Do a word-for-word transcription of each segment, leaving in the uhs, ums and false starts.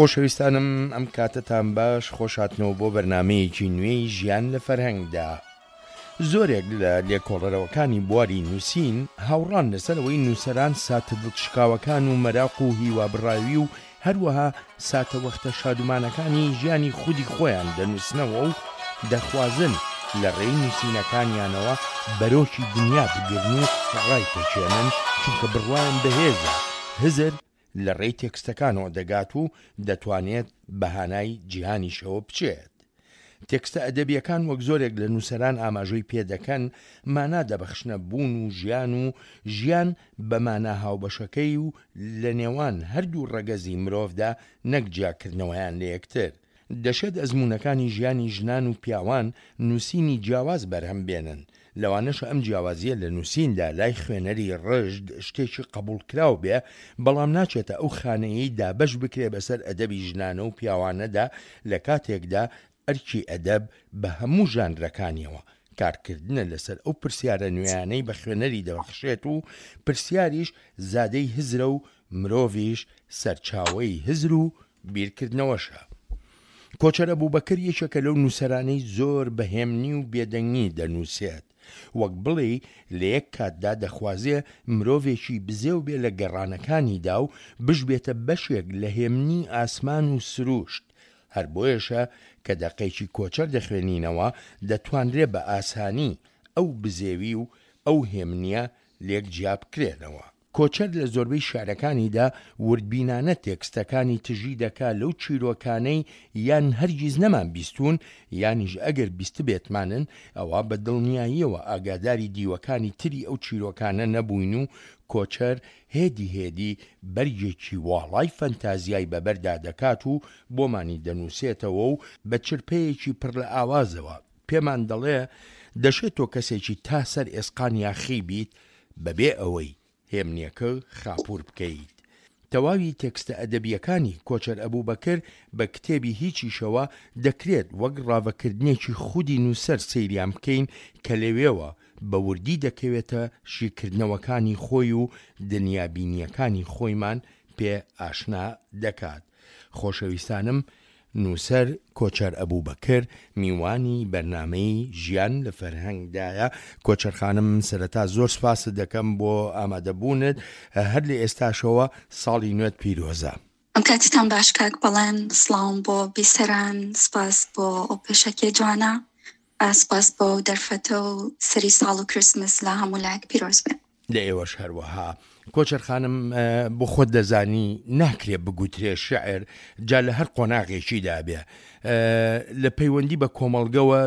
خۆشەویستانم ئەم کاتەتان باش، خۆشهاتنەوە بۆ بەرنامەیەکی نوێی ژیان لە فەرهەنگدا. زۆرێک لە لێکۆڵەرەوەکانی بواری نووسین هاوڕان لەسەر ئەوەی نووسەران ساتە دڵشکاوەکان و مەراق و هیوابڕاوی و هەروەها ساتەوەختە شادومانەکانی ژیانی خودی خۆیان دەنووسنەوە و دەخوازن لە ڕێی نووسینەکانیانەوە بەرۆکی دنیا بگرن و ڕایپەچێنن، چونکە بڕوایان بەهێزە هزر لە ڕێی تێکستەکانەوە دەگات و دەتوانێت بە هانای جیهانیشەوە بچێت. تێکستە ئەدەبیەکان وەک زۆرێک لە نووسەران ئاماژەی پێدەکەن مانا دەبەخشنە بوون و ژیان و ژیان بە مانا هاوبەشەکەی و لە نێوان هەردوو ڕەگەزی مرۆڤدا نەک جیاکردنەوەیان لە یەکتر. دەشێت ئەزموونەکانی ژیانی ژنان و پیاوان نووسینی جیاواز بەرهەم بێنن، لەوانەشە ئەم جیاوازیە لە نووسیندا لای خوێنەری ڕژد شتێکی قبوڵکراو بێ، بەڵام ناچێتە ئەو خانەیەی دابەش بکرێ بەسەر ئەدەبی ژنانە و پیاوانەدا، لە کاتێکدا ئەرکی ئەدەب بە هەموو ژانرەکانیەوە کارکردنە لەسەر ئەو پرسیارە نوێیانەی بە خوێنەری دەبەخشێت و پرسیاریش زادەی هزرە و مرۆڤیش سەرچاوەی هزر و بیرکردنەوەشە. کۆچەر ئەبوبەکر یەکێکە لەو نووسەرانەی زۆر بە هێمنی و بێدەنگی دەنووسێت، وەک بڵێی لە یەک کاتدا دەخوازێ مرۆڤێکی بزێو بێ لە گەڕانەکانیدا و بشبێتە بەشێک لە هێمنی ئاسمان و سروشت، هەر بۆیەشە کە دەقێکی کۆچەر دەخوێنینەوە دەتوانرێ بە ئاسانی ئەو بزێوی و ئەو هێمنیە لێک جیا بکرێنەوە. کۆچەر لە زۆربەی شیعرەکانیدا وردبینانە تێکستەکانی تژی دەکا لەو چیرۆکانەی یان هەرگیز نەمان بیستوون یانیش ئەگەر بیستبێتمانن ئەوا بە دڵنیاییەوە ئاگاداری دیوەکانی تری ئەو چیرۆکانە نەبووین و کۆچەر هێدی هێدی بەرگێکی واڵای فەنتازیای بەبەردا دەکات و بۆمانی دەنووسێتەوە و بە چرپەیەکی پڕ لە ئاوازەوە پێمان دەڵێ دەشێت تۆ کەسێکی تا سەر ئێسقان یاخی بیت بەبێ ئەوەی هێمنیەکە خاپوور بکەیت. تەواوی تێکستە ئەدەبییەکانی کۆچەر ئەبوبەکر بە کتێبی هیچیشەوە دەکرێت وەک ڕاڤەکردنێکی خودی نووسەر سەیریان بکەین کە لەوێوە بە وردی دەکەوێتە شیکردنەوەکانی خۆی و دنیابینییەکانی خۆیمان پێ ئاشنا دەکات. خۆشەویستانم نووسەر کۆچەر ئەبوبەکر میوانی بەرنامەی ژیان لە فەرهەنگدایە. کۆچەر خانم سەرەتا زۆر سپاست دەکەم بۆ ئامادەبوونت، هەر لە ئێستاشەوە ساڵی نوێت پیرۆزە. ئەم کاتتان باش کاک بەڵێن، سڵاوم بۆ بیسەران، سپاس بۆ ئەو پێشەکیە جوانە، سپاس بۆ دەرفەتە و سەری ساڵ و کریسمس لە هەموو لایەک پیرۆز بێ. لە ئێوەش هەروەها. کۆچەر خانم بۆ خۆت دەزانی ناکرێ بگوترێ شعر جا لە هەر قۆناغێکیدا بێ لە پەیوەندی بە کۆمەڵگەوە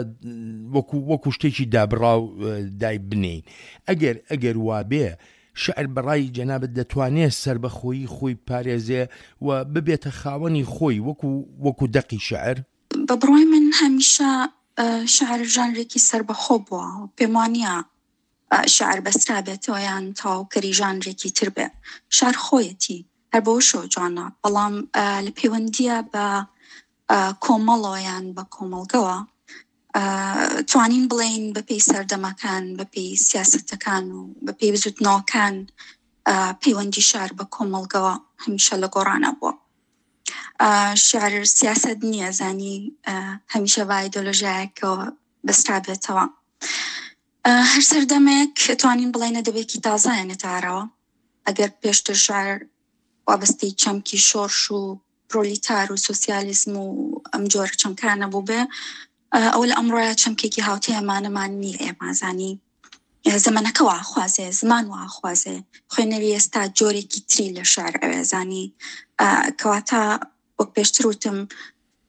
وەکو وەکو شتێکی دابڕاو دای بنین. ئەگەر ئەگەر وابێ شعر بەڕای جەنابت دەتوانێت سربەخۆیی خۆی پارێزێ و ببێتە خاوەنی خۆی وەکو وەکو دەقی شعر؟ بە بڕوای من هەمیشە شعر ژانرێکی سربەخۆ بووە، پێم وانییە شعر بەسترا بێتەوە یان تەواوکەری ژانرێکی تر بێ. شعر خۆیەتی، هەر بەوەشەوە جوانە، بەڵام لە پەیوەندیە بە کۆمەڵەوە یان بە کۆمەڵگەوە توانین بڵێین بەپێی سەردەمەکان، بەپێی سیاسەتەکان و بەپێی بزوتنەوەکان پەیوەندی شعر بە کۆمەڵگەوە هەمیشە لە گۆڕانە بووە. شعر سیاسەت نییە، زانی هەمیشە بە ئایدۆلۆژیایەکەوە بەسترا بێتەوە. هەر سەردەمێک توانین بڵێنە دەبێکی تازایانە تارەوە. ئەگەر پێشتر شعر وابەستەی چەمکی شۆرش و پرۆلیتار و سۆسیالیزم و ئەم جۆرە چەمکانە بوو بێ، ئەوە لە ئەمڕۆیا چەمکێکی هاوتێمانەمان نییە. ئێمازانی زەمەنەکە واخوازێ، زمان واخوازێ، خوێنەری ئێستا جۆرێکی تری لە شعر ئەوێزانی. کەواتە وەک پێشتر وتم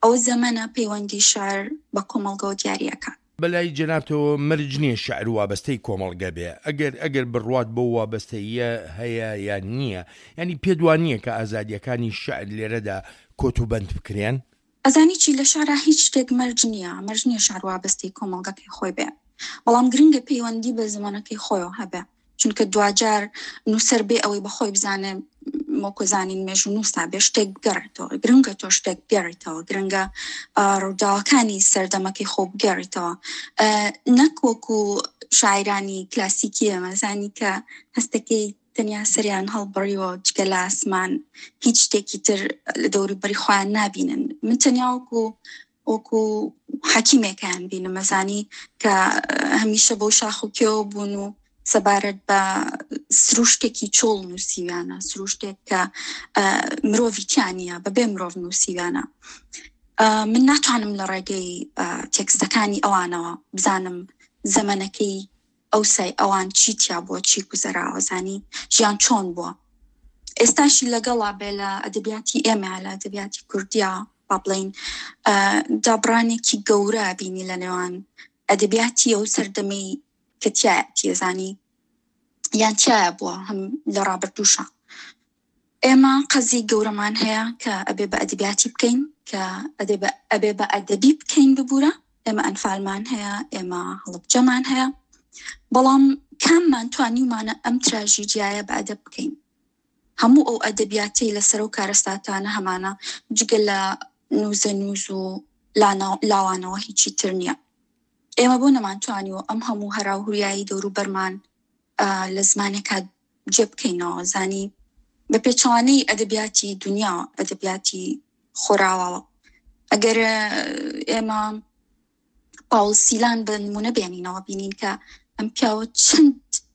ئەو زەمەنە پەیوەندی شعر بە کۆمەڵگەوە دیاریەکە. بەلای جەنابتەوە مەرج نییە شعر وابەستەی کۆمەڵگە بێ، ئەگەر ئەگەر بڕوات بۆ وابەستەیە هەیە یان نییە، ینی پێت وان نییە کە ئازادیەکانی شعر لێرەدا کۆت و بەند بکرێن؟ ئەزانی چی، لە شعرا هیچ شتێک مەرج نییە، مەرج نییە شعر وابەستەی کۆمەڵگەکەی خۆی بێ، بەڵام گرنگە پەیوەندی بە زمانەکەی خۆیەوە هەبێ، چونکە دواجار نووسەر بێ ئەوەی بە خۆی بزانێ وەکو زانین مێژوو نووسا بێ شتێک بگەڕێتەوە. گرنگە تۆ شتێک بگەڕێتەوە، گرنگە ڕووداوەکانی سەردەمەکەی خۆ بگەڕێتەوە، نەک وەکو شاعرانی کلاسیکی ئێمە زانی کە هەستەکەی تەنیا سەریان هەڵبڕیوە جگە لە ئاسمان هیچ شتێکی تر لە دەوروبەری خۆیان نابینن. من تەنیا وەکو وەکو حەکیمێکیان بینم، ئەزانی کە هەمیشە بۆ شاخ و کێوە بوون و سەبارەت بە سروشتێکی چۆڵ نووسیویانە، سروشتێک کە مرۆڤی تیا نییە، بەبێ مرۆڤ نووسیویانە. من ناتوانم لە ڕێگەی تێکستەکانی ئەوانەوە بزانم زەمەنەکەی ئەوسای ئەوان چی تیا بووە، چی گوزەراوە، زانی ژیان چۆن بووە. ئێستاشی لەگەڵا بێ لە ئەدەبیاتی ئێمە، لە ئەدەبیاتی کوردیا با بڵێین دابڕانێکی گەورە بینی لە نێوان ئەدەبیاتی ئەو سەردەمەی کە تیایەتی، زانی یان تیایە بووە هەم لە ڕابردووشە. ئێمە قەزی گەورەمان هەیە کە ئەبێ بە ئەدەبیاتی بکەین، کە ئەبێ بە ئەدەبی بکەین ببوورە. ئێمە ئەنفالمان هەیە، ئێمە هەڵەبجەمان هەیە، بەڵام کاممان توانیومانە ئەم تراژیدیایە بە ئەدەب بکەین؟ هەموو ئەو ئەدەبیاتەی لەسەر ئەو کارەساتانە هەمانە جگە لە نووزە نووز و لاوانەوە هیچی تر نییە. ئێمە بۆ نەمانتوانیوە ئەم هەموو هەراوهوریایی دەوروبەرمان لە زمانێکا جێ بکەینەوە، زانی بە پێچەوانەی ئەدەبیاتی دنیا، ئەدەبیاتی خۆراواوە. ئەگەر ئێمە پاول سیلان بە نمونە بێنینەوە، بینین کە ئەم پیاوە چەند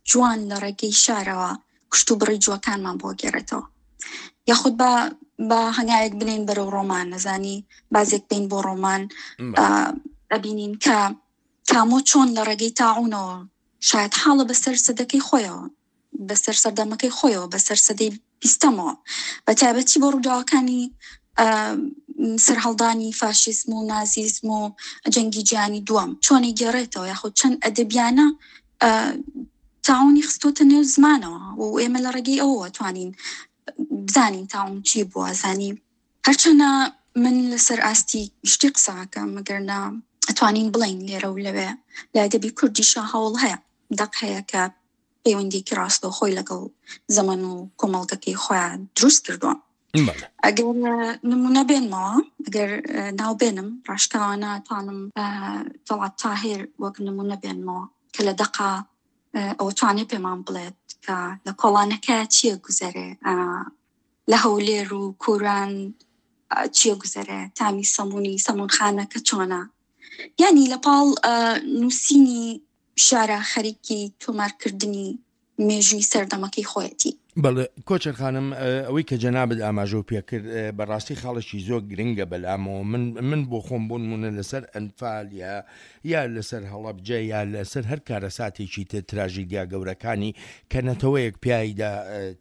جوان لە ڕێگەی شارەوە کوشت و بڕی جووەکانمان بۆ گێڕێتەوە. یاخود بە بە هەنگاوێک بنین بەرەو ڕۆمان، نەزانی بازێک بین بۆ ڕۆمان، ئەبینین کە کامۆ چۆن لە ڕێگەی تاعونەوە شاید حاڵە بەسەر سەدەکەی خۆیەوە، بەسەر سەردەمەکەی خۆیەوە، بەسەر سەدەی بیستەمەوە، بە تایبەتی بۆ ڕووداوەکانی سەرهەڵدانی فاشیزم و نازیزم و جەنگی جیهانی دووەم چۆنی گێڕێتەوە، یاخود چەند ئەدەبیانە تاعونی خستۆتە نێو زمانەوە و ئێمە لە ڕێگەی ئەوەوە توانین بزانین تاعون چی بووە. زانی هەرچەنە من لەسەر ئاستی گشتی قسەکەم، مەگەرنا ئەتوانین بڵین لێرە و لەوێ لە ئەدەبی کوردیشا هەوڵ هەیە، دەق هەیە کە پەیوەندیکی ڕاستەوخۆی لەگەڵ زەمەن و کۆمەڵگەکەی خۆیان دروست کردووە. ئەگەر نمونە بێنمەوە، ئەگەر ناو بێنم ڕاشکاوانە توانم تەڵعەت تاهیر وەک نمونە بێنمەوە کە لە دەقا ئەوە توانێ پێمان بڵێت کە لە کۆڵانەکە چییە گوزەرێ، لە هەولێر و کوران چییە گوزەرێ، تامی سەمونی سەمونخانەکە چۆنە. یعنی لە پاڵ نووسینی شارە خەریکی تۆمارکردنی مێژووی سەردەمەکەی خۆیەتی. بەڵێ کۆچەر خانم، ئەوەی کە جەنابت ئاماژەو پێکرد بەڕاستی خاڵێکی زۆر گرنگە بەلامەوە. من من بۆ خۆم بۆ نمونە لەسەر ئەنفال یا یا لەسەر هەڵەبجە یا لەسەر هەر کارەساتێکی تر تراژیدیا گەورەکانی کە نەتەوەیەک پیایدا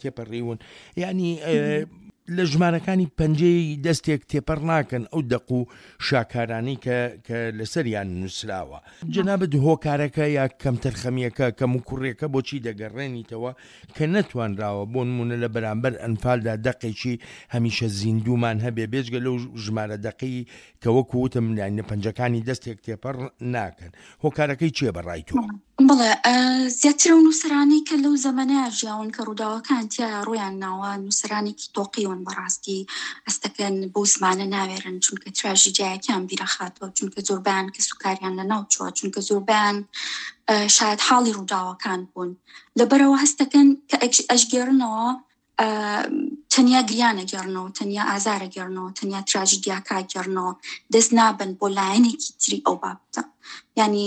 تێپەڕیون، یعنی لە ژمارەکانی پەنجەی دەستێک تێپەڕ ناکەن ئەو دەق و شاکارانی کە کە لەسەریان نووسراوە. جەنابت هۆکارەکە یا کەمتەرخەمیەکە کەم و کوڕێکە بۆچی دەگەڕێنیتەوە کە نەتوانراوە بۆ نمونە لە بەرامبەر ئەنفالدا دەقێکی هەمیشە زیندومان هەبێ، بێجگە لەو ژمارە دەقی کە وەکو وتم لە پەنجەکانی دەستێک تێپەڕ ناکەن. هۆکارەکەی چییە بەڕای تۆ؟ بەڵێ، زیاتر ئەو نووسەرانەی کە لەو زەمەنەیە ژیاون کە ڕووداوەکان تیا ڕوویان ناوە، نووسەرانێکی تۆقیون بەڕاستی ئەستەکەن بەو زمانە ناوێرن، چونکە تراژیدیایەکیان بیرەخاتەوە، چونکە زۆربیان کەسوکاریان لە ناو چووە، چونکە زۆربیان شاید حاڵی ڕووداوەکان بوون. لەبەرەوە هەستەکەن کە ئەشگێڕنەوە تەنیا گریانە گێڕنەوە، تەنیا ئازارە گێڕنەوە، تەنیا تراژیدیاکە گێڕنەوە، دەست نابن بۆ لایەنێکی تری ئەو بابەتە. یعنی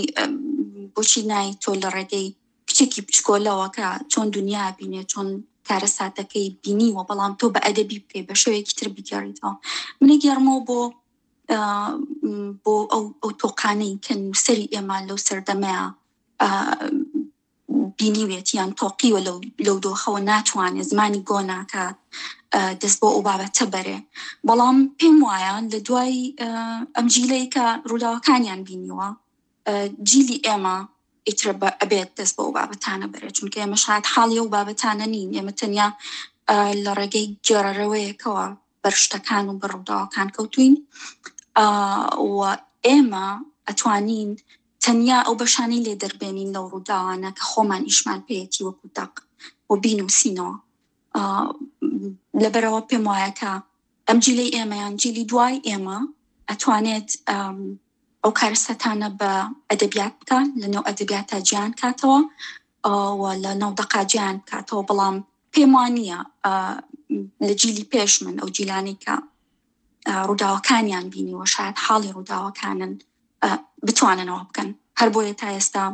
بۆچی نای تۆ لە ڕێگەی کچێکی بچکۆلەوە کە چۆن دنیا بینێ، چۆن کارەساتەکەی بینیوە، بەڵام تۆ بە ئەدەبی بکەی، بە شێوەیەکی تر بگێڕیتەوە. منە گێڕمەوە بۆ بۆ ئەو ئەو تۆقانەی کە نووسەری ئێمە لەو سەردەمەیە بینیوێت یان تۆقیوە لەو دۆخەوە، ناتوانێت زمانی گۆ ناکات دەست بۆ ئەو بابەتە بەرێ. بەڵام پێم وایە لە دوای ئەم جیلەی کە ڕووداوەکانیان بینیوە، جیلی ئێمە ئیتر ئەبێت دەست بۆ ئەو بابەتانە بەرێت، چونکە ئێمە شاید حاڵی ئەو بابەتانە نین. ئێمە تەنیا لە ڕێگەی گێڕەرەوەیەکەوە بەر شتەکان و بەر ڕووداوەکان کەوتوین و ئێمە ئەتوانین تەنیا ئەو بەشانەی لێ دەربێنین لەو ڕووداوانە کە خۆمان ئیشمان پێیەتی وەکو دەق و بینووسینەوە. لەبەرەوە پێم وایە کە ئەم جیلەی ئێمە یان جیلی دوای ئێمە ئەتوانێت ئەو کارەساتانە بە ئەدەبیات بکات، لەنێو ئەدەبیاتە جیان کاتەوە و لە ناو دەقا جیان بکاتەوە. بەڵام پێم وانییە لە جیلی پێش من ئەو جیلانەی کە ڕووداوەکانیان بینیوە شاید حاڵی ڕووداوەکانن بتواننەوە بکەن. هەر بۆیە تا ئێستا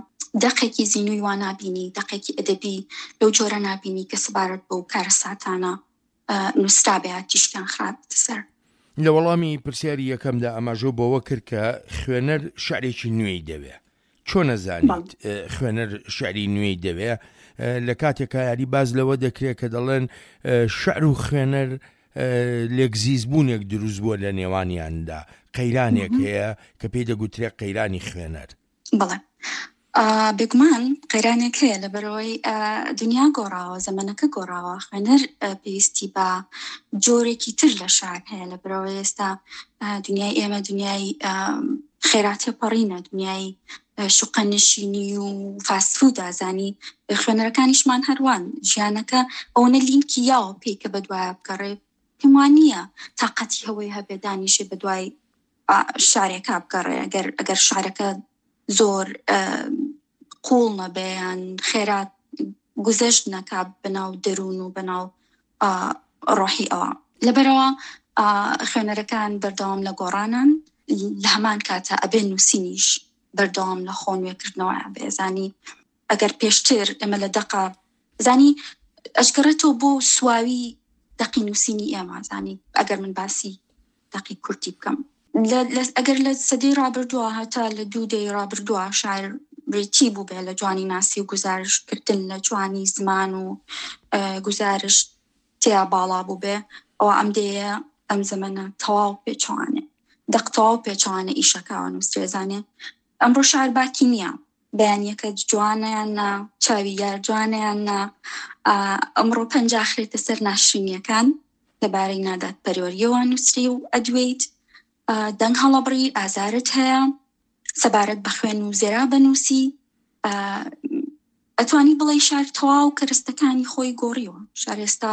دەقێکی زینووی وا نابینی، دەقێکی ئەدەبی لەو جۆرە نابینی کە سەبارەت بەو کارەساتانە نووسرابێ تیشکیان خرابێتە سەر. لە وەڵامی پرسیاری یەکەمدا ئاماژە بەوە کرد کە خوێنەر شعرێکی نوێی دەوێ. چۆن نەزانیت خوێنەر شعری نوێی دەوێ لە کاتێکا یاری باز لەوە دەکرێت کە دەڵێن شعر و خوێنەر لێکزیزبوونێک دروست بووە لە نێوانیاندا، قەیرانێک هەیە کە پێی دەگوترێت قەیرانی خوێنەر. بەڵێ بێگومان قەیرانێک هەیە، لەبەرەوەی دنیا گۆڕاوە، زەمەنەکە گۆڕاوە، خوێنەر پێویستی بە جۆرێکی تر لە شعر هەیە. لەبەرەوەی ئێستا دنیای ئێمە دنیای خێرا تێپەڕینە، دنیای شوقەنشینی و فاست فود ئازانی، خوێنەرەکانیشمان هەروان ژیانەکە ئەوەنە لینکی یاوە پێی کە بەدوایە بگەڕێ، پێم وان نییە تاقەتی هەوەی هەبێ دانیشێ بەدوای شعرێکا بگەڕێ. ئەگەر ئەگەر شعرەکە زۆر قوڵ نەبێ یان خێرا گوزەشت نەکا بەناو دەروون و بەناو ڕۆحی ئەوە. لەبەرەوە خوێنەرەکان بەردەوام لە گۆڕانن، لە هەمان کاتە ئەبێ نووسینیش بەردەوام لە خۆ نوێکردنەوە بێزانی. ئەگەر پێشتر ئێمە لە دەقا زانی ئەشگەڕێتەوە بۆ سواوی دەقی نووسینی ئێمە، زانی ئەگەر من باسی دەقی کوردی بکەم، ئەگەر لە سەدەی ڕابردووە هەتا لە دوو دەی ڕابردووە شاعر بریتی بوو بێ لە جوانی ناسی و گوزارشتکردن لە جوانی زمان و گوزارش تیا باڵا بوو بێ، ئەوە ئەم دەیە ئەم زەمەنە تەواو پێچوانێ، دەق تەواو پێچوانە ئیشەکەوە نووسرێزانێ. ئەمڕۆ شعر باکی نییە، بەیانیەکە جوانیان نا، چاوی یار جوانیان نا، ئەمڕۆ پەنجا خرێتە سەر ناشرینیەکان لەبارەی نادادپەروەریەوە نووسری و ئەدوێیت، دەنگ هەڵەبڕی، ئازارت هەیە، سەبارەت بە خوێن و زێرا بەنووسی. ئەتوانی بڵێ شار تەواو کەرستەکانی خۆی گۆڕیوە. شار ئێستا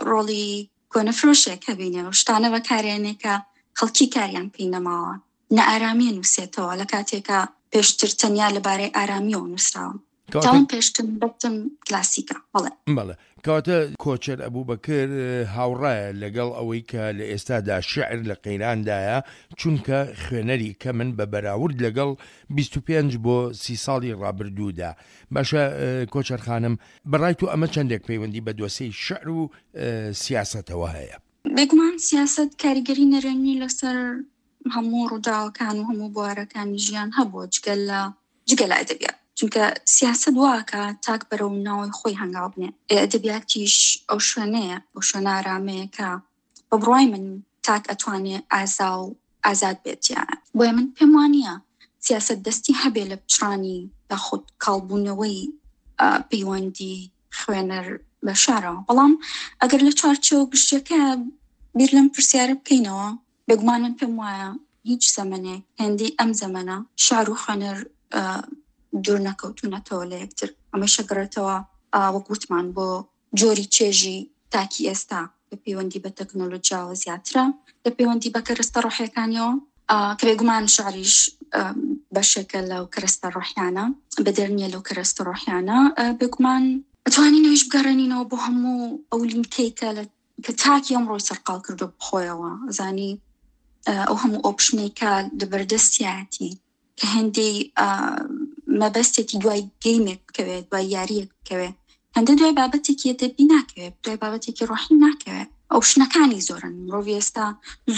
ڕۆڵی کۆنەفرۆشێک هەبینێ و شتانە بەکارێنێکە خەڵکی کاریان پێی نەماوە، نەئارامیە نووسێتەوە لە کاتێکە پێشتر تەنیا لەبارەی ئارامیەوە نووسراوە. تاوان پێشتر بەتم کلاسیکە. بەڵێ بەڵێ کەواتە کۆچەر ئەبوبەکر هاوڕایە لەگەڵ ئەوەی کە لە ئێستادا شعر لە قەیراندایە، چونکە خوێنەری کە من بە بەراورد لەگەڵ بیست و پێنج بۆ سی ساڵی ڕابردوودا. باشە کۆچەر خانم، بەڕای تۆ ئەمە چەندێک پەیوەندی بە دۆسێی شعر و سیاسەتەوە هەیە؟ بێگومان سیاسەت کاریگەری نەرێنی لەسەر هەموو ڕووداوەکان و هەموو بوارەکانی ژیان هەبووە، جگە لە جگە لە ئەدەبیات، چونکە سیاسەت واکە تاک بەرەو ناوەی خۆی هەنگاو بنێ. ئەدەبیاتیش ئەو شوێنەیە، ئەو شوێنە ئارامەیە کە بە بڕوای من تاک ئەتوانێ ئازا و ئازاد بێت. یان بۆیە من پێم وانییە سیاسەت دەستی هەبێ لە پچڕانی یاخود کاڵبوونەوەی پەیوەندی خوێنەر بە شارەوە. بەڵام ئەگەر لە چوارچێوە گشتیەکە بیر لەم پرسیارە بکەینەوە، بێگومان من پێم وایە هیچ زەمەنێک هێندەی ئەم زەمەنە شعر و خوێنەر دوور نەکەوتونەتەوە لە یەکتر. ئەمەشە گەڕێتەوە وەک وتمان بۆ جۆری چێژی تاکی ئێستا لە پەیوەندی بە تەکنۆلۆژیاوە زیاترە لە پەیوەندی بە کەرەستە ڕۆحیەکانیەوە، کە بێگومان شعریش بەشێکە لەو کەرەستە ڕۆحیانە، بەدەر نییە لەو کەرەستە ڕۆحیانە. بێگومان ئەتوانین ئەویش بگەڕێنینەوە بۆ هەموو ئەو لینکەی کە کە تاکی ئەمڕۆی سەرقاڵ کردو بخۆیەوە، زانی ئەو هەموو ئۆپشنەی کە لەبەردەستیایەتی کە هەندێک مەبەستێکی دوای گەیمێک بکەوێت، دوای یاریەک بکەوێت، هەندێک دوای بابەتێکی ئەدەبی ناکەوێت، دوای بابەتێکی ڕۆحی ناکەوێت. ئۆپشنەکانی زۆرن، مرۆڤ ئێستا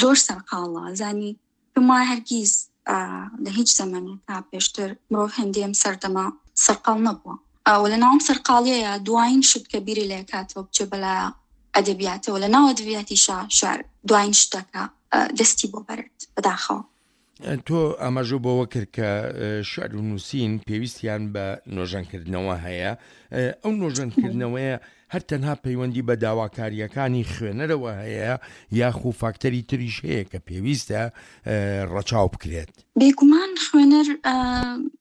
زۆر سەرقاڵە. زانی پێم وایە هەرگیز لە هیچ زەمەنێکا پێشتر مرۆڤ هەندێم سەردەمە سەرقاڵ نەبووە. و لە ناوم سەرقاڵیەیە دوایین شت کە بیری لێ کاتەوە بچێ بەلا ئەدەبیاتەوە، لە ناو ئەدەبیاتیشا شعر دوایین شتەکە دەستی بۆ بەرێت. بەداخەوە تۆ ئاماژە بەوە کرد کە شعر و نووسین پێویستیان بە نۆژەنکردنەوە هەیە. ئەو نۆژەنکردنەوەیە هەر تەنها پەیوەندی بە داواکاریەکانی خوێنەرەوە هەیە یاخو فاکتەری تریش هەیە کە پێویستە ڕەچاو بکرێت؟ بێگومان خوێنەر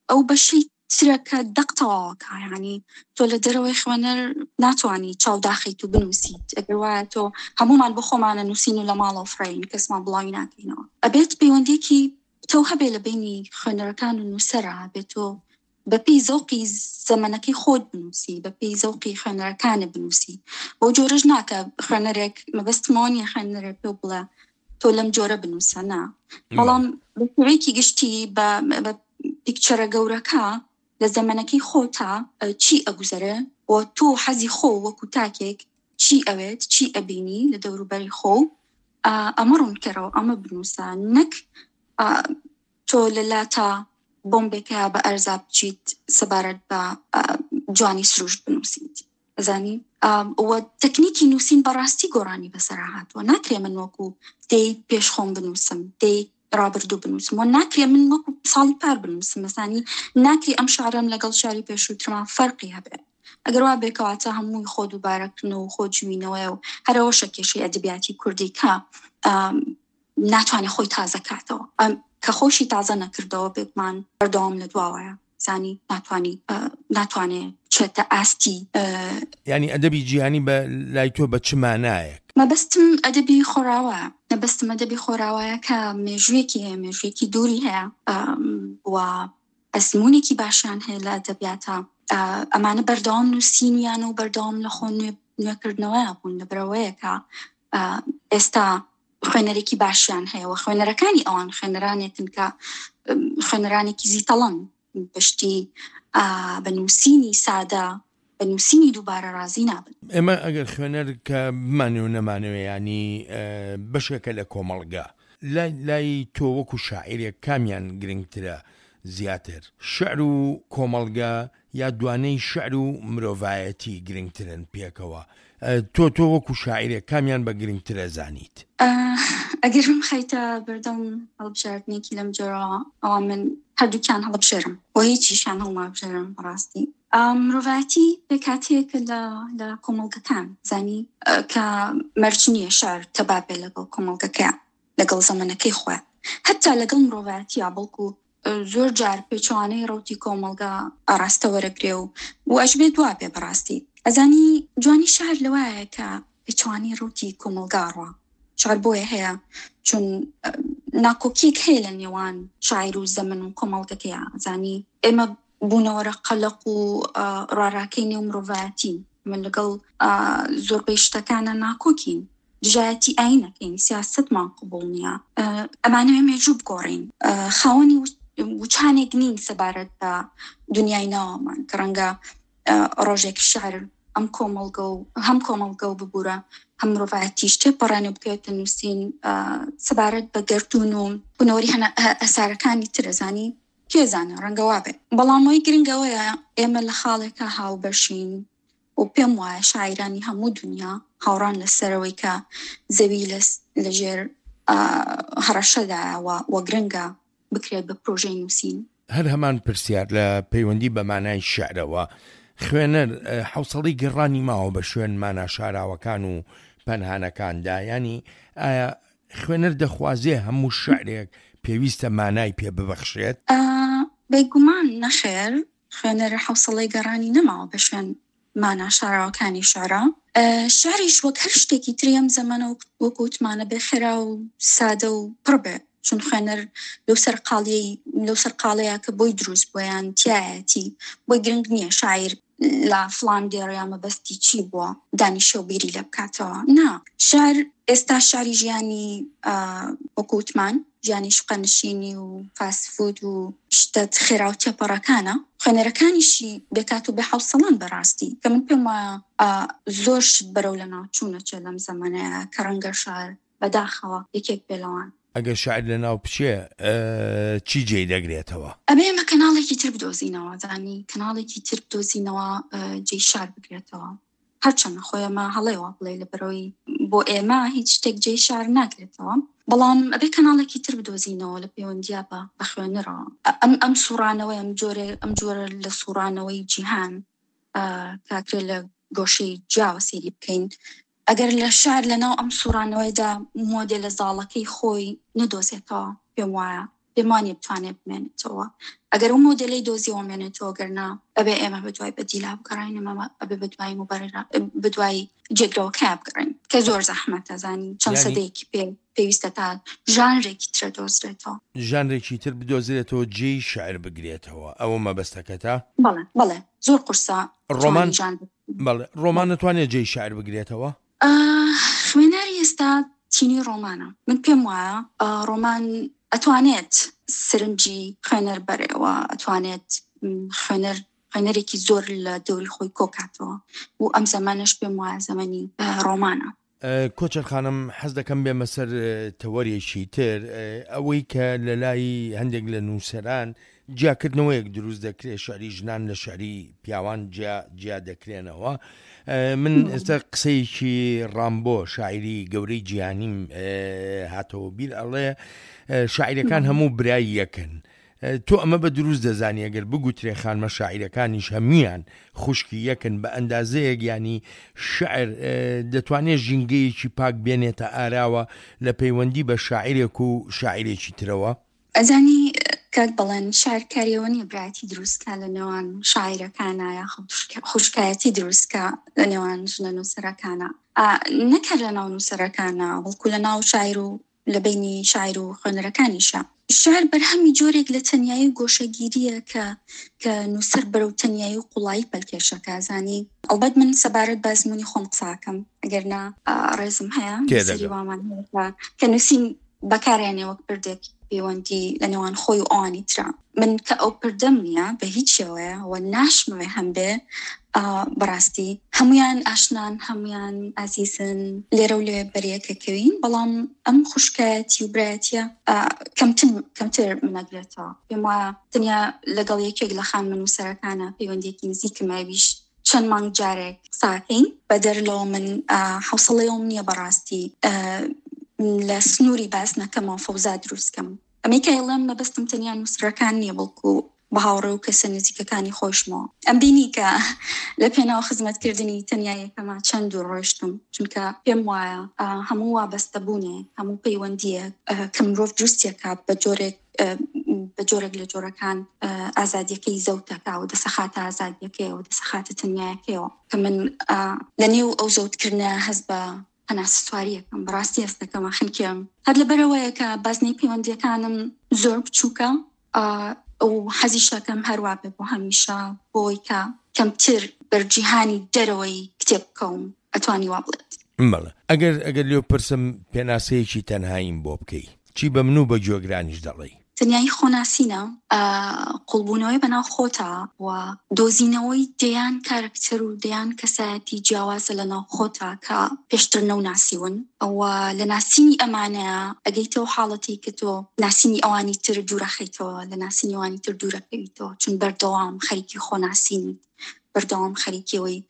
ئەو بەشەی ترە کە دەق تەواوەکە، یعنی تۆ لە دەرەوەی خوێنەر ناتوانی چاوداخیت و بنووسیت. ئەگەر وایە تۆ هەمومان بۆ خۆمانە نووسین و لە ماڵەوە فڕین، کەسمان بڵاوی ناکەینەوە. ئەبێت پەیوەندیەکی تۆ هەبێ لە بینی خوێنەرەکان و نووسەرە، بێت تۆ بەپێی زەوقی زەمەنەکەی خۆت بنووسی، بەپێی زەوقی خوێنەرەکانت بنووسی. بەو جۆرەش ناکە خوێنەرێک، مەبەستمەوە نییە خوێنەرێک پێ بڵێ تۆ لەم جۆرە بنووسە، نا، بەڵام بە شێوەیەکی گشتی بە پیکچەرە گەورەکە لە زەمەنەکەی خۆتا چی ئەگوزەرێ و تۆ حەزی خۆ وەکو تاکێک چی ئەوێت، چی ئەبینی لە دەوروبەری خۆ، ئەمە ڕوونکەرەوە، ئەمە بنووسە، نەک تۆ لە لاتا بۆمبێکە بە ئەرزا بچیت سەبارەت بە جوانی سروشت بنووسیت. ئەزانی و تەکنیکی نووسین بەڕاستی گۆڕانی بەسەرا هاتووە. ناکرێ من وەکو دەی پێش خۆم بنووسم، دەی ڕابردوو بنووسم، و ناکرێ من وەکو ساڵی پار بنووسم. مەسانی ناکرێ ئەم شعرم لەگەڵ شاری پێشووترمان فەرقی هەبێ. ئەگەر وا بێکەواتە هەمووی خۆ دووبارەکردن و خۆ جوینەوەیە و هەرەوەشە کێشەی ئەدەبیاتی کوردی کە ناتوانێت خۆی تازە کاتەوە، کە خۆشی تازە نەکردەوە بێگومان بەردەوام لە دواوەیە. زانی ناتوانی ناتوانێ بچێتە ئاستی. یعنی ئەدەبی جیهانی بە لای تۆ بە چ مانایەک؟ مەبەستم ئەدەبی خۆراوە، مەبەستم ئەدەبی خۆراوایە کە مێژوویەکی هەیە، مێژوویەکی دووری هەیە و ئەزموونێکی باشیان هەیە لە ئەدەبیاتە. ئەمانە بەردەوام نووسینیان و بەردەوام لە خۆ نوێکردنەوەیان بوون، لەبەرەوەیە کە ئێستا خوێنەرێکی باشیان هەیە و خوێنەرەکانی ئەوان خوێنەرانێکن کە خوێنەرانێکی زیتەڵەن، بەشتی بە نووسینی سادە، بە نووسینی دووبارە ڕازی نابن. ئێمە ئەگەر خوێنەر کە بمانێ و نەمانەوێ، ینی بەشێکە لە کۆمەڵگا، لای تۆ وەکو شاعیرێک کامیان گرنگترە زیاتر، شعر و کۆمەڵگا یا دوانەی شعر و مرۆڤایەتی گرنگترن پێکەوە؟ تۆ تۆ وەکو شاعیرێک کامیان بە گرنگترە زانیت؟ ئەگەر بمخەیتە بەردەم هەڵبژاردنێکی لەم جۆرەوە، ئەوە من هەردووکیان هەڵبژێرم و هیچیشیان هەڵنابژێرم بەڕاستی. مرۆڤایەتی پێکهاتەیەکە لە کۆمەڵگەکان، زانی کە مەرج نییە شعر تەبا بێ لەگەڵ کۆمەڵگەکە، لەگەڵ زەمەنەکەی خۆیان، حتا لەگەڵ مرۆڤایەتیە، بەڵکو زۆر جار پێچوانەی ڕەوتی کۆمەڵگا ئاراستە وەرەگرێ و و ئەشبێ دوا بێ بەڕاستی. ئەزانی جوانی شعر لەوایە کە پێچوانەی ڕەوتی کۆمەڵگا ڕوا. شعر بۆیە هەیە چون ناکۆکیەک هەیە لە نێوان شاعیر و زەمن و کۆمەڵگەکەیە. زانی ئێمە بوونەوەرە قەلەق و ڕاراکەی نێو مرۆڤایەتین، من لەگەڵ زۆربەی شتەکانە ناکۆکین، دژایەتی ئاینەکەین، سیاسەتمان قبوڵ نییە، ئەمانەوێ مێژوو بگۆڕین، خاوەنی وچانێک نین سەبارەت بە دنیای ناوەمان کە ڕەنگە ڕۆژێک شعر ئەم کۆمەڵگە و هەم کۆمەڵگە و ببوورە هەم مرۆڤایەتیش تێپەڕێن و بکەوێتە نووسین سەبارەت بە گەردوون و بوونەوەری ئەسارەکانی ترەزانی کێزانە ڕەنگە وا بێ. بەڵام ئەوەی گرنگەوەیە ئێمە لە خاڵێکە هاوبەشین و پێم وایە شاعیرانی هەموو دنیا هاوڕان لەسەرەوەی کە زەوی لەژێر هەڕەشەدایە و گرنگە بکرێت بە پرۆژەی نووسین. هەر هەمان پرسیار لە پەیوەندی بە مانای شعرەوە، خوێنەر حوسەڵی گەڕانی ماوە بە شوێن مانا شاراوەکان و پەنهانەکاندا، ینی ئایا خوێنەر دەخوازێ هەموو شعرێک پێویستە مانای پێ ببەخشێت؟ بێگومان نەخێر، خوێنەر حوسەڵی گەڕانی نەماوە بە شوێن مانا شاراوەکانی شعرا. شعریش وەک هەر شتێکی تری ئەم زەمەنە وەک وتمانە بێ خێرا و سادە و پڕ بێ، چون خوێنەر لەو سەرقاڵیەی لەو سەرقاڵەیە کە بۆی دروست بوویان تایەتی، بۆی گرنگ نییە شاعیر لە فلان دێڕیا مەبەستی چی بووە دانیشە و بیری لێ بکاتەوە. نا، شعر ئێستا شعری ژیانی وەکو وتمان ژیانی شوقەنشینی و فاست فود و شتە خێرا و تێپەڕەکانە، خوێنەرەکانیشی بێکات و بێحەوسەڵان بەڕاستی کە من پێم وایە زۆر شت بەرەو لە ناوچوونە چێ لەم زەمانەیە کە ڕەنگە شعر بەداخەوە یەکێک بێ لەوان. ئەگەر شاعر لە ناو بچێ چی جێی دەگرێتەوە؟ ئەبێ ئێمە کەناڵێکی تر بدۆزینەوە، زانی کەناڵێکی تر بدۆزینەوە جێی شار بگرێتەوە. هەرچەندە خۆی ئەمە هەڵەیەوە بڵێ لەبەرەوەی بۆ ئێمە هیچ شتێک جێی شار ناگرێتەوە، بەڵام ئەبێ کەناڵێکی تر بدۆزینەوە لە پەیوەندیا بە بە خوێنەرەوە. ئەم ئەم سوڕانەوەی ئەم جۆرە ئەم جۆرە لە سوڕانەوەی جیهان کاکرێ لە گۆشەی جیاوە سەیری بکەین. ئەگەر لە شار لەناو ئەم سوڕانەوەیدا مۆدێلە زاڵەکەی خۆی نەدۆزێتەوە، پێم وایە پێم وانیە بتوانێت بمێنێتەوە. ئەگەر ئەو مۆدێلەی دۆزیەوە مێنێتەوە، گەرنا ئەبێ ئێمە بەدوای بەدیلا بگەڕین، ئێمە ئەبێ بەدوای مبەررە بەدوای جێگرەوەکە بگەڕین کە زۆر زەحمەتە، زانی چەند سەدەیەکی پێ پێویستە تا ژانرێکی تر دۆزرێتەوە. ژانرێکی تر بدۆزرێتەوە جێی شعر بگرێتەوە، ئەوە مەبەستەکەتە؟ بەڵێ بەڵێ، زۆر قورسە ڕۆمان. بەڵێ، ڕۆمان نەتوانێت جێی شعر بگرێتەوە؟ خوێنەری ئێستا تینی ڕۆمانە. من پێم وایە ڕۆمان ئەتوانێت سەرنجی خوێنەر بەرێوە، ئەتوانێت خوێنەر خوێنەرێکی زۆر لە دەوری خۆی کۆکاتەوە و ئەم زەمانەش پێم وایە زەمەنی ڕۆمانە. کۆچەر خانم، حەز دەکەم بێمە سەر تەوەرێکی تر، ئەوەی کە لە لای هەندێک لە نووسەران جیاکردنەوەیەک دروست دەکرێت، شعری ژنان لە شعری پیاوان جیا دەکرێنەوە. من ئێستا قسەیەکی ڕامبۆ شاعری گەورەی جیهانیم هاتەوە بیر، ئەڵێ شاعیرەکان هەموو برای یەکن. تۆ ئەمە بە دروست دەزانی ئەگەر بگوترێ خانمە شاعیرەکانیش هەمویان خوشکی یەکن بە ئەندازەیەک، ینی شعر دەتوانێت ژینگەیەکی پاک بێنێتە ئاراوە لە پەیوەندی بە شاعیرێک و شاعیرێکی ترەوە؟ ئەزانی کاک بەڵێن، شعر کاریەوە نییە برایەتی دروستکە لە نێوان شاعیرەکانە یا خوشکایەتی دروستکە لە نێوان ژنە نووسەرەکانە، نەک هەر لە ناو نووسەرەکانە بەڵکو لە ناو شاعیر و لە بینی شاعیر و خوێنەرەکانیشە. شعر بەرهەمی جۆرێک لە تەنیایی و گۆشەگیریە کە کە نووسەر بەرەو تەنیایی و قوڵایی پەلکێشەکە. زانی ئەڵبەت من سەبارەت بە ئەزموونی خۆم قساکەم، ئەگەر نا ڕێزم هەیە نووسەری وامان هەیە کە نووسین بەکارێنێ وەک پردێک پەیوەندی لە نێوان خۆی و ئەوانی ترا. من کە ئەو پردەم نییە بە هیچ شێوەیە و ناشمەوێ هەم بێ، بەڕاستی هەمویان ئاشنان، هەمویان ئازیزن، لێرە و لێ بەریەکەکەوین، بەڵام ئەم خوشکایەتی و برایەتیە کەمتر کەمتر منەگرێتەوە. پێم وایە تەنیا لەگەڵ یەکێک لە خانمە نووسەرەکانە پەیوەندیەکی نزیکم ئەویش چەند مانگ جارێک قساکەین. بەدەر لەوە من حەوسەڵەیەوم نییە بەڕاستی لە سنووری باس نەکەمەوە فەوزا دروستکەم. ئەمەی کە ئەڵێم مەبەستم تەنیا نووسەرەکان نییە، بەڵکو بە هاوڕێ و کەسە نزیکەکانی خۆشمەوە. ئەم بینی کە لە پێناو خزمەتکردنی تەنیا یەکەما چەند دوور ڕۆیشتم، چونکە پێم وایە هەموو وابەستەبوونێ، هەموو پەیوەندیەک کە مرۆڤ دروستیەکە بە جۆرێک بە جۆرێک لە جۆرەکان ئازادیەکەی زەوتەکە و دەسەخاتە ئازادیەکەیەوە، دەسەخاتە تەنیایەکەیەوە، کە من لە نێو ئەو زەوتکردنە هەست بە هەناسەسواریەکەم، بەڕاستی هەستەکەمە خنکێم. هەر لەبەرەوەیە کە بازنەی پەیوەندیەکانم زۆر بچووکە و حەزیشەکەم هەروە بێ بۆ هەمیشە، بۆی کە کەمتر بەرجیهانی دەرەوەی کتێب بکەوم، ئەتوانی وا بڵێت. بەڵێ، ئەگەر ئەگەر لێو پرسم پێناسەیەکی تەنهاییم بۆ بکەی، چی بە من و بە گوێگرانیش دەڵێی؟ تەنیایی خۆناسینە، قوڵبوونەوەی بەناو خۆتا و دۆزینەوەی دەیان کارکتەر و دەیان کەسایەتی جیاوازە لە ناو خۆتا کە پێشتر نەوناسیون و لە ناسینی ئەمانەیە ئەگەیتەوە حاڵەتی کە تۆ ناسینی ئەوانی تر دوورەخەیتەوە، لە ناسینی ئەوانی تر دوورەکەویتەوە، چون بەردەوام خەریکی خۆناسینیت، بەردەوام خەریکیەوەی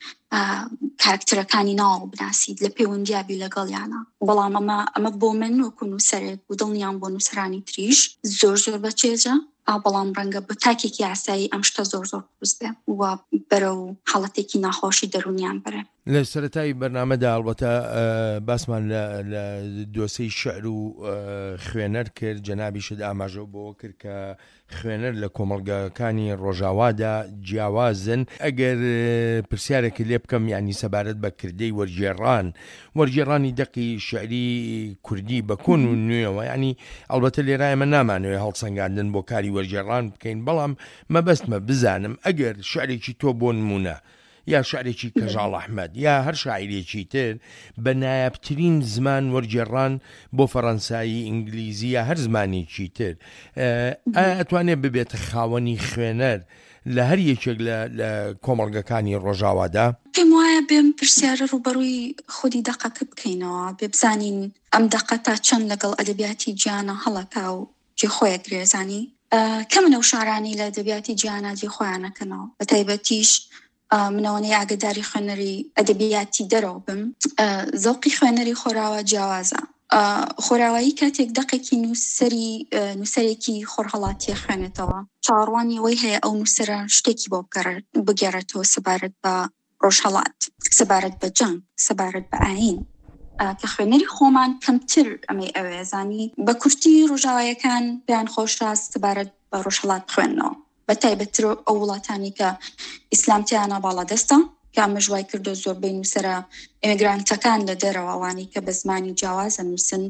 کارکتەرەکانی ناو بناسیت، لە پەیوەندیابی لەگەڵیانە. بەڵام ئەمە ئەمە بۆ من وەکو نووسەرێک و دڵنیام بۆ نووسەرانی تریش زۆر زۆر بەچێژە، بەڵام ڕەنگە بە تاکێکی ئاسایی ئەم شتە زۆر زۆر قورس بێ و بەرەو حاڵەتێکی ناخۆشی دەروونیان بەرێ. لە سەرەتای بەرنامەدا ئەڵبەتە باسمان لە دۆسەی شعر و خوێنەر کرد، جەنابیشت ئاماژە بۆ کرد کە خوێنەر لە کۆمەڵگەکانی ڕۆژاوادا جیاوازن. ئەگەر پرسیارێکی لێ بکەم ینی سەبارەت بە کردەی وەرگێڕان، وەرگێڕانی دەقی شعری کوردی بە کۆن و نوێەوە، ینی ئەلبەتە لێرە ئێمە نامانەوێ هەڵسەنگاندن بۆ کاری وەرگێڕان بکەین، بەڵام مەبەستمە بزانم ئەگەر شعرێکی تۆ بۆ نمونە یا شعرێکی کەژاڵ ئەحمەد یا هەر شاعیرێکی تر بە نایابترین زمان وەرگێڕان بۆ فەڕەنسایی، ئینگلیزی یا هەر زمانێکی تر، ئایا ئەتوانێت ببێتە خاوەنی خوێنەر لە هەر یەکێک لە کۆمەڵگەکانی ڕۆژاوادا؟ پێم وایە بێم پرسیارە ڕووبەڕووی خودی دەقەکە بکەینەوە، بێ بزانین ئەم دەقە تا چەند لەگەڵ ئەدەبیاتی جیهانە هەڵەکا و جێ خۆیە گرێزانی. کەمن ئەو شعرانەی لە ئەدەبیاتی جیهانە جێ خۆیانەکەنەوە، بە تایبەتیش منەوەنەی ئاگداری خوێنەری ئەدەبیاتی دەرەوە بم، زەوقی خوێنەری خۆراوە جیاوازە. خۆراوایی کاتێک دەقێکی نووسەری نووسەرێکی خۆرهەڵاتیە خوێنێتەوە، چاوەڕوانی ئەوەی هەیە ئەو نووسەرە شتێکی بۆ بگێڕێتەوە سەبارەت بە ڕۆژهەڵات، سەبارەت بە جەنگ، سەبارەت بە ئایین، کە خوێنەری خۆمان کەمتر ئەمەی ئەوێ زانی. بە کورتی ڕۆژاوایەکان پێیان خۆشە سەبارەت بە ڕۆژهەڵات بخوێننەوە، بە تایبەتتر ئەو وڵاتانی کە ئیسلام تیانە باڵادەستە، کە ئەمەش وای کردو زۆربەی نووسەرە ئیمیگرانتەکان لە دەرەوە ئەوانەی کە بە زمانی جیاواز ئەنووسن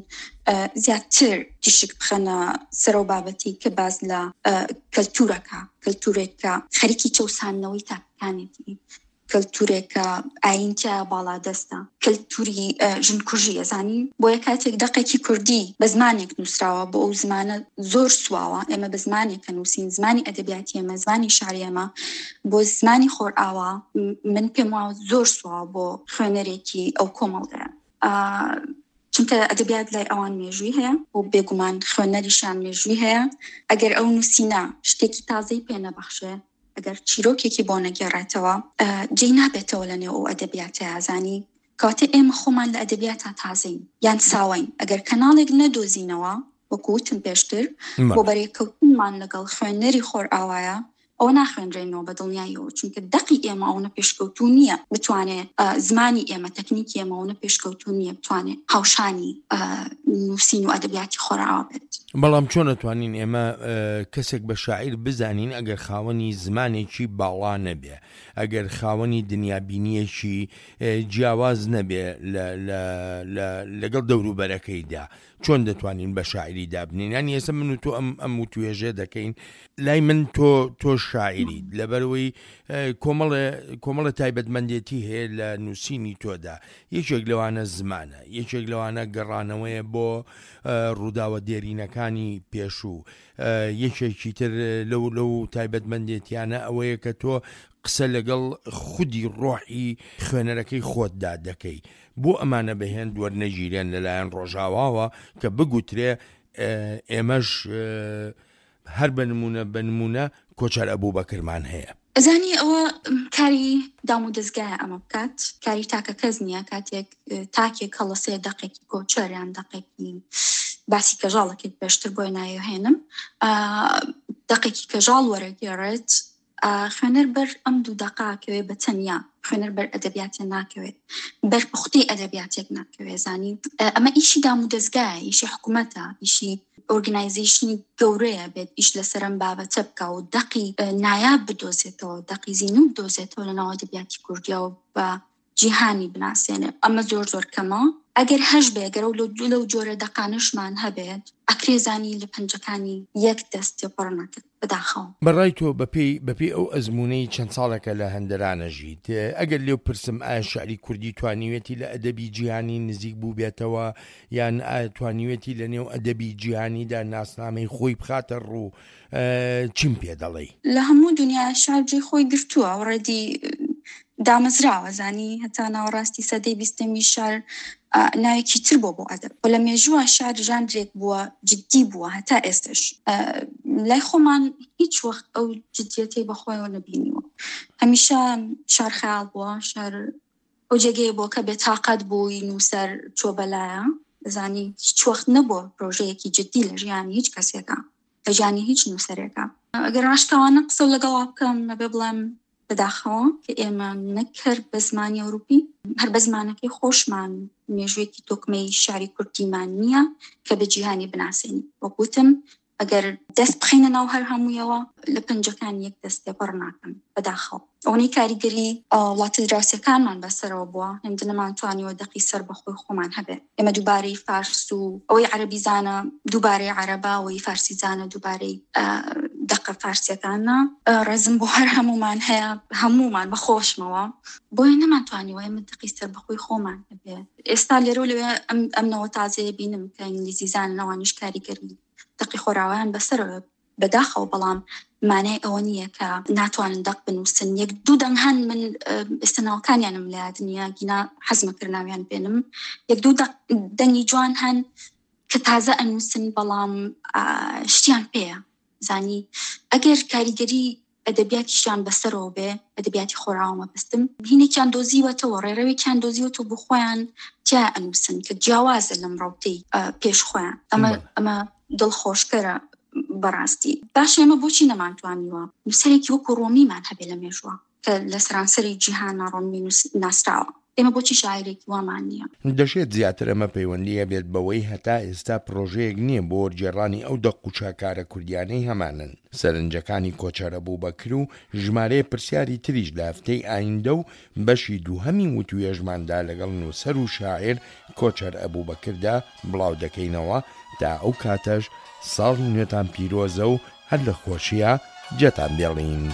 زیاتر تیشک بخەنە سەرەو بابەتی کە باز لە کەلتورەکە، کەلتورێکە خەریکی چەوساندنەوەی تاکەکانێتی، کەلتورێکە ئاین تیا باڵادەستە، کەلتوری ژنکوژی ئەزانی. بۆیە کاتێک دەقێکی کوردی بە زمانێک نووسراوە بۆ ئەو زمانە زۆر سواوە، ئێمە بە زمانێک نووسین، زمانی ئەدەبیاتی ئێمە، زمانی شعری ئێمە بۆ زمانی خۆرئاوا من پێم وایە زۆر سواوە بۆ خوێنەرێکی ئەو کۆمەڵگەیە، چونکە ئەدەبیات لای ئەوان مێژووی هەیە و بێگومان خوێنەریشیان مێژووی هەیە. ئەگەر ئەو نووسینە شتێکی تازەی پێ نەبەخشێ، ئەگەر چیرۆکێکی بۆ نەگێڕێتەوە، جێی نابێتەوە لە نێو ئەو ئەدەبیاتە. زانی کاتێ ئێمە خۆمان لە ئەدەبیاتە تازەین یان ساوەین، ئەگەر کەناڵێک نەدۆزینەوە وەکو وتم پێشتر بۆ بەرێکەوتنمان لەگەڵ خوێنەری خۆرئاوایە، ئەوە ناخوێنرێنەوە بە دڵنیاییەوە، چونکە دەقی ئێمە ئەوە پێشکەوتوو نییە بتوانێ زمانی ئێمە، تەکنیکی ئێمە ئەوە پێشکەوتوو نییە بتوانێ هاوشانی نووسین و ئەدەبیاتی خۆرئاوا بێت. بەڵام چۆن ئەتوانین ئێمە کەسێک بە شاعیر بزانین ئەگەر خاوەنی زمانێکی باڵا نەبێ، ئەگەر خاوەنی دنیابینیەکی جیاواز نەبێ لەگەڵ دەوروبەرەکەیدا، چۆن دەتوانین بە شاعیری دابنین؟ یانی ئێستا من و تۆ ئەم ئەم وتوێژێ دەکەین، لای من تۆ تۆ شاعیریت، لەبەرەوەی کۆمەڵێ کۆمەڵە تایبەتمەندێتی هەیە لە نووسینی تۆدا. یەکێک لەوانە زمانە، یەکێک لەوانە گەڕانەوەیە بۆ ڕووداوە دێرینەکانی پێشوو، یەکێکی تر لەو لەو تایبەتمەندێتیانە ئەوەیە کە تۆ قسە لەگەڵ خودی ڕۆحی خوێنەرەکەی خۆتدا دەکەی. بۆ ئەمانە بەهێند وەرنەگیرێن لەلایەن ڕۆژاواوە کە بگوترێ ئێمەش هەر بە نمونە بە نمونە کۆچەر ئەبوبەکرمان هەیە. ئەزانی ئەوە کاری دام و دەستگایە ئەمە بکات، کاری تاکە کەس نییە. کاتێک تاکێک هەڵەسێ دەقێکی کۆچەر یان دەقێکی باسی کەژاڵەکەی پێشتر بۆی نایهێنم، دەقێکی کەژاڵ وەرەگێڕێت، خوێنەر بەر ئەم دوو دەقاکەوێ بە تەنیا، خوێنەر بەر ئەدەبیاتێ ناکەوێت، بەر پوختەی ئەدەبیاتێک ناکەوێت. زانی ئەمە ئیشی دام و دەستگایە، ئیشی حکوومەتە، ئیشی ئۆرگنایزیشنی گەورەیە بێت ئیش لەسەرم بابەتە بکە و دەقی نایاب بدۆزێتەوە، دەقی زینوو بدۆزێتەوە لە ناو ئەدەبیاتی کوردیەوە بە جیهانی بناسێنێ. ئەمە زۆر زۆر کەمە. ئەگەر هەش بێ، ئەگەر ئەو لەو جۆرە دەقانشمان هەبێت، ئەکرێ زانی لە پەنجەکانی یەک دەست تێپەڕ نەکرد بەداخەوە. بەڕای تۆ بەپێی بەپێی ئەو ئەزمونەی چەند ساڵێکە لە هەندەرانە ژیت، ئەگەر لێو پرسم ئایا شعری کوردی توانیوێتی لە ئەدەبی جیهانی نزیک بوو بێتەوە، یان ئایا توانیوێتی لە نێو ئەدەبی جیهانیدا ناسنامەی خۆی بخاتە ڕوو، چیم پێ دەڵێی؟ لە هەموو دنیا شعر جێی خۆی گرتووە، ڕێدی دامەزراوە. زانی هەتا ناوەڕاستی سەدەی بیستەمی شعر ناوێکی تر بۆ بۆ ئەدەب، و لە مێژووە شعر ژانرێک بووە جدی بووە هەتا ئێستش. لای خۆمان هیچ وەخت ئەو جدیەتەی بەخۆیەوە نەبینیوە. هەمیشە شعر خەیاڵ بووە، شعر ئەو جێگەیە بووە کە بێتاقەت بووی نووسەر چۆ بەلایە. زانی هیچ وەخت نەبووە پرۆژەیەکی جدی لە ژیانی هیچ کەسێکە، لە ژیانی هیچ نووسەرێکە. ئەگەر ڕاشکاوانە قسە لەگەڵا بکەم، نەبێ بڵێم بەداخەوە کە ئێمە نەکرد بە زمانی ئەوروپی، هەر بە زمانەکەی خۆشمان مێژوویەکی تۆکمەی شعری کوردیمان نییە کە بە جیهانی بناسێنین. وەک وتم ئەگەر دەست بخەینە ناو هەر هەموویەوە لە پەنجەکان یەک دەست تێپەڕ ناکەن بەداخەوە. ئەوەی کاریگەری وڵاتە دراوسێکانمان بەسەرەوە بووە، هێندە نەمانتوانیوە دەقی سەر بەخۆی خۆمان هەبێ. ئێمە دووبارەی فارس و ئەوەی عەرەبی زانە دووبارەی عەرەبا، ئەوەی فارسی زانە دووبارەی دەقە فارسیەکانە. ڕێزم بۆ هەر هەمومان هەیە، هەمومان بەخۆشمەوە، بۆیە نەمانتوانیوە ئێمە دەقی سەر بەخۆی خۆمان هەبێ. ئێستا لێرە و لەوێ ئەم نەوە تازەیە بینم کە ئینگلیزی زانن، ئەوانیش کاریگەری دەقی خۆراوایان بەسەرەوە بەداخەوە، بەڵام مانای ئەوە نییە کە ناتوانن دەق بنووسن. یەک دوو دەنگ هەن، من ئێستا ناوەکانیانم لە یاد نییە، گینا حەزمە کرد ناویان بێنم. یەک دوو دەنگی جوان هەن کە تازە ئەنووسن، بەڵام شتیان پێیە. زانی ئەگەر کاریگەری ئەدەبیاتیشیان بەسەرەوە بێ، ئەدەبیاتی خۆراوە مەبەستم، هینێکیان دۆزیوەتەوە، ڕێڕەوێکیان دۆزیوەتەوە بۆ خۆیان تیا ئەنووسن کە جیاوازە لەم ڕەوتەی پێش خۆیان. ئەمە ئەمە دڵخۆشکەرە بەڕاستی. باش ئێمە بۆچی نەمانتوانیوە نووسەرێکی وەکو ڕۆمیمان هەبێ لە مێژوە کە لە سەرانسەری جیهانە ڕۆمی ناسراوە؟ ئێمە بۆچی شاعیرێکی وامان نییە؟ دەشێت زیاتر ئەمە پەیوەندی هەبێت بەوەی هەتا ئێستا پرۆژەیەک نییە بۆ وەرگێڕانی ئەو دەق و شاکارە کوردیانەی هەمانن. سەرنجەکانی کۆچەر ئەبوبەکر و ژمارەیە پرسیاری تریش لە هەفتەی ئایندە و بەشی دووهەمی وتوێژماندا لەگەڵ نووسەر و شاعیر کۆچەر ئەبوبەکردا بڵاو دەکەینەوە، تا ئەو کاتەش ساڵی نوێتان پیرۆزە و هەر لە خۆشیا جێتان بێڵین.